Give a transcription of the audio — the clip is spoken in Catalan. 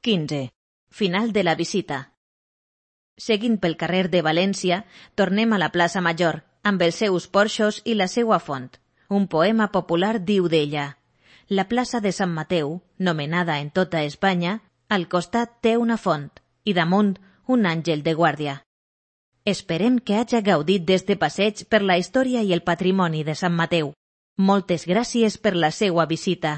15. Final de la visita. Seguint pel carrer de València, tornem a la plaça Major, amb els seus porxos i la seua font. Un poema popular diu d'ella: la plaça de Sant Mateu, nomenada en tota Espanya, al costat té una font i damunt un àngel de guàrdia. Esperem que haja gaudit d'este passeig per la història i el patrimoni de Sant Mateu. Moltes gràcies per la seua visita.